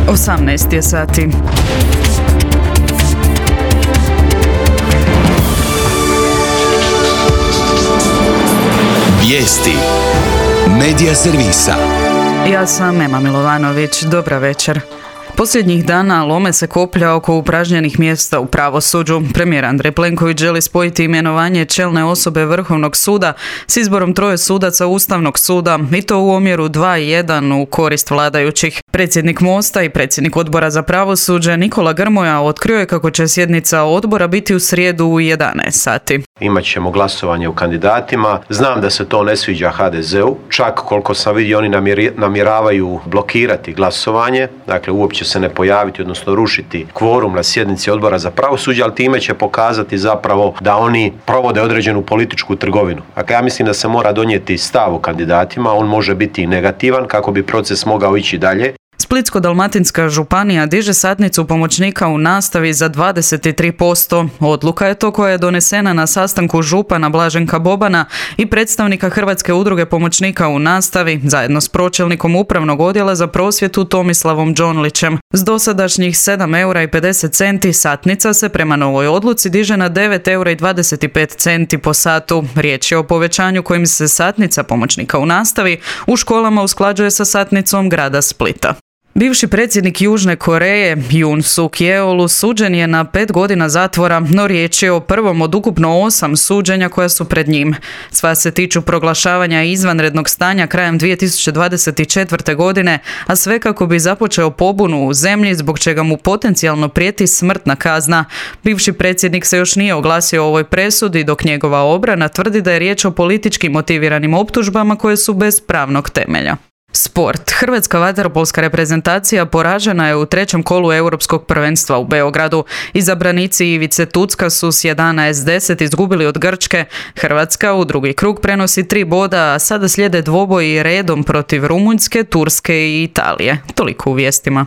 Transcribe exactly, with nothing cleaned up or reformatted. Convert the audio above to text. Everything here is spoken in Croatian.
osamnaest je sati. Vijesti Medija servisa. Ja sam Ema Milovanović. Dobra večer. Posljednjih dana lome se koplja oko upražnjenih mjesta u pravosuđu. Premijer Andrej Plenković želi spojiti imenovanje čelne osobe Vrhovnog suda s izborom troje sudaca Ustavnog suda i to u omjeru dva jedan u korist vladajućih. Predsjednik Mosta i predsjednik Odbora za pravosuđe Nikola Grmoja otkrio je kako će sjednica odbora biti u srijedu u jedanaest sati. Imat ćemo glasovanje o kandidatima. Znam da se to ne sviđa ha de zeu, čak koliko sam vidio oni namjeravaju blokirati glasovanje, dakle uopće se ne pojaviti, odnosno rušiti kvorum na sjednici Odbora za pravosuđe, ali time će pokazati zapravo da oni provode određenu političku trgovinu. Dakle, ja mislim da se mora donijeti stav o kandidatima, on može biti i negativan kako bi proces mogao ići dalje. Splitsko-dalmatinska županija diže satnicu pomoćnika u nastavi za dvadeset tri posto. Odluka je to koja je donesena na sastanku župana Blaženka Bobana i predstavnika Hrvatske udruge pomoćnika u nastavi zajedno s pročelnikom upravnog odjela za prosvjetu Tomislavom Đonlićem. S dosadašnjih sedam eura i pedeset centi satnica se prema novoj odluci diže na devet eura i dvadeset pet centi po satu. Riječ je o povećanju kojim se satnica pomoćnika u nastavi u školama usklađuje sa satnicom grada Splita. Bivši predsjednik Južne Koreje, Yoon Suk Yeol, suđen je na pet godina zatvora, no riječ je o prvom od ukupno osam suđenja koja su pred njim. Sva se tiču proglašavanja izvanrednog stanja krajem dvije tisuće dvadeset četvrte. godine, a sve kako bi započeo pobunu u zemlji zbog čega mu potencijalno prijeti smrtna kazna. Bivši predsjednik se još nije oglasio o ovoj presudi, dok njegova obrana tvrdi da je riječ o politički motiviranim optužbama koje su bez pravnog temelja. Sport. Hrvatska vaterpolska reprezentacija poražena je u trećem kolu Europskog prvenstva u Beogradu. Izabranici Ivice Tucka su s jedanaest deset izgubili od Grčke. Hrvatska u drugi krug prenosi tri boda, a sada slijede dvoboji redom protiv Rumunjske, Turske i Italije. Toliko u vijestima.